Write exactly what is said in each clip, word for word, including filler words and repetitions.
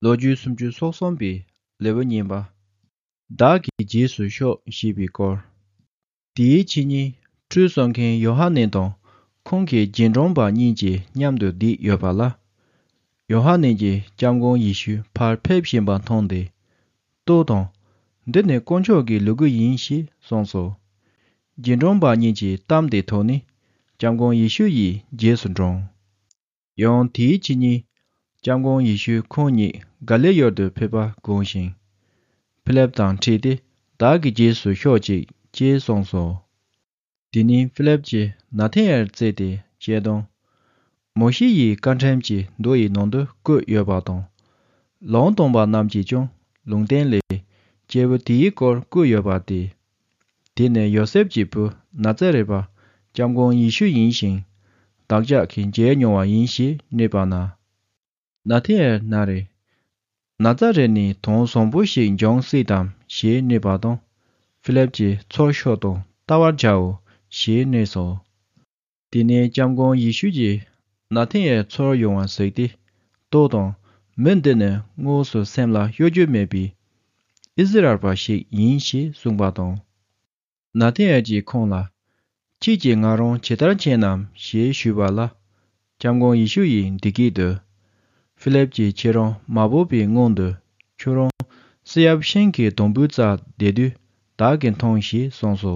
ལོ་རྒྱུས་སུམ་ཅུ་སོ་གསུམ་པའི་ལེའུ་གཉིས་པ། བདག་གི་རྗེས་སུ་ཤོག་ཞེས་པའི་སྐོར། དེའི་ཕྱི་ཉིན་ཁྲུས་གསོལ་མཁན་ཡོ་ཧ་ནན་དང་ཁོང་གི་རྗེས་འབྲང་པ་གཉིས་ཀྱིས་མཉམ་དུ་བསྡད་ཡོད་པ་ལ། ཡོ་ཧ་ནན་གྱིས་སྐྱབས་མགོན་ཡེ་ཤུ་ཕར་ཕེབས་བཞིན་པ་མཐོང་སྟེ། ལྟོས་དང་། འདི་ནི་དཀོན་མཆོག་གི་ལུ་གུ་ཡིན་ཞེས་གསུངས་སོ། རྗེས་འབྲང་པ་གཉིས་ཀྱི་གཏམ་དེ་ཐོས་ནས་སྐྱབས་མགོན་ཡེ་ཤུ་ཡི་རྗེས་སུ་འབྲངས། ཡང་དེའི་ཕྱི་ཉིན། སྐྱབས་མགོན་ཡེ་ཤུས་ཁོང་གཉིས་ག་ལིལ་ཡུལ་དུ་ཕེབས་པ་དགོངས་ཤིང་། ཕི་ལེབ་དང་འཕྲད་དེ། བདག་གི་རྗེས་སུ་ཤོག་ཅིག་ཅེས་གསུངས་སོ། དེ་ནས་ཕི་ལེབ་ཀྱིས་ནཱ་ཐན་ཨེལ་བཙལ་ཏེ་བཤད་དོན། མོ་ཤེ་ཡི་བཀའ་ཁྲིམས་ཀྱི་མདོ་ཡི་ནང་དུ་བཀོད་ཡོད་པ་དང་། ལུང་སྟོན་པ་རྣམས་ཀྱིས་ཀྱང་ལུང་བསྟན་ལས། སྐྱེས་བུ་དེའི་སྐོར་བཀོད་ཡོད་པ་སྟེ། དེ་ནི་ཡོ་སེབ་ཀྱི་བུ་ནཱ་ཙཱ་རེད་པ་སྐྱབས་མགོན་ཡེ་ཤུ་ཡིན་ཞིང་། བདག་ཅག་གིས་མཇལ་མྱོང་བ་ཡིན་ཞེས་སྨྲས་པ་ན། ནཱ་ཐན་ཨེལ་ན་རེ། ནཱ་ཙཱ་རེད་ནས་དོན་བཟང་པོ་ཞིག་འབྱུང་སྲིད་དམ་ཞེས་སྨྲས་པ་དང་། ཕི་ལེབ་ཀྱིས་ཚུར་ཤོག་དང་ལྟ་བར་བྱའོ་ཞེས་སྨྲས་སོ། དེ་ནས་སྐྱབས་མགོན་ཡེ་ཤུ་གྱིས་ནཱ་ཐན་ཨེལ་ཚུར་ཡོང་བ་གཟིགས་ཏེ། ལྟོས་དང་། མི་འདི་ནི་དངོས་སུ་སེམས་ལ་གཡོ་སྒྱུ་མེད་པའི་ཨི་ཟི་རལ་པ་ཞིག་ཡིན་ཞེས་གསུངས་པ་དང་། ནཱ་ཐན་ཨེལ་གྱིས་ཁོང་ལ། ཁྱེད་ཀྱིས་ང་རང་ཇི་ལྟར་མཁྱེན་ནམ་ཞེས་ཞུས་པ་ལ། སྐྱབས་མགོན་ཡེ་ཤུ་ཡིས་འདི་སྐད་དུ། ཕི་ལེབ་ཀྱིས་ཁྱེད་རང་མ་བོས་པའི་སྔོན་དུ། ཁྱོད་རང་བསེ་ཡབ་ཤིང་གི་སྡོང་པོའི་རྩར་བསྡད་དུས་བདག་གིས་མཐོང་ཞེས་གསུངས་སོ།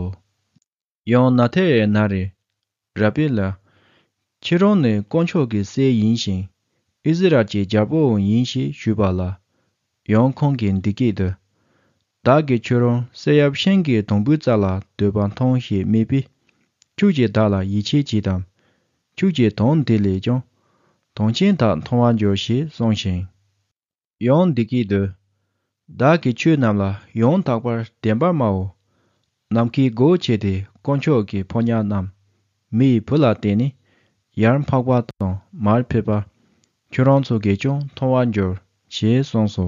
ཡང་ནཱ་ཐན་ཨེལ་ན་རེ། ར་པི་ལགས། ཁྱེད་རང་ནི་དཀོན་མཆོག་གི་སྲས་ཡིན་ཞིང་། ཨི་ཟི་རལ་གྱི་རྒྱལ་པོའང་ཡིན་ཞེས་ཞུས་པ་ལ། ཡང་ཁོང་གིས་འདི་སྐད་དུ། བདག་གིས་ཁྱོད་རང་བསེ་ཡབ་ཤིང་གི་སྡོང་པོའི་རྩ་ལ་སྡོད་པ་མཐོང་ཞེས་སྨྲས་པས། ཁྱོད་ཀྱིས་བདག་ལ་ཡིད་ཆེས་བྱེད་དམ། ཁྱོད་ཀྱིས་དོན་འདི་ལས་ཀྱང་། དོན་ཆེན་དག་མཐོང་བར་འགྱུར་ཞེས་གསུངས་ཤིང་། ཡང་འདི་སྐད་དུ། བདག་གིས་ཁྱོད་རྣམས་ལ་ཡང་དག་པར་བདེན་པར་སྨྲའོ། ནམ་མཁའི་སྒོ་ཕྱེ་སྟེ་དཀོན་མཆོག་གི་ཕོ་ཉ་རྣམས་མི་ཡི་བུ་ལ་བསྟན་ནས། ཡར་འཕགས་པ་དང་མར་ཕུད་པ། ཁྱོད་རང་ཚོ་གིས་ཀྱང་མཐོང་བར་འགྱུར་ཞེས་གསུངས་སོ།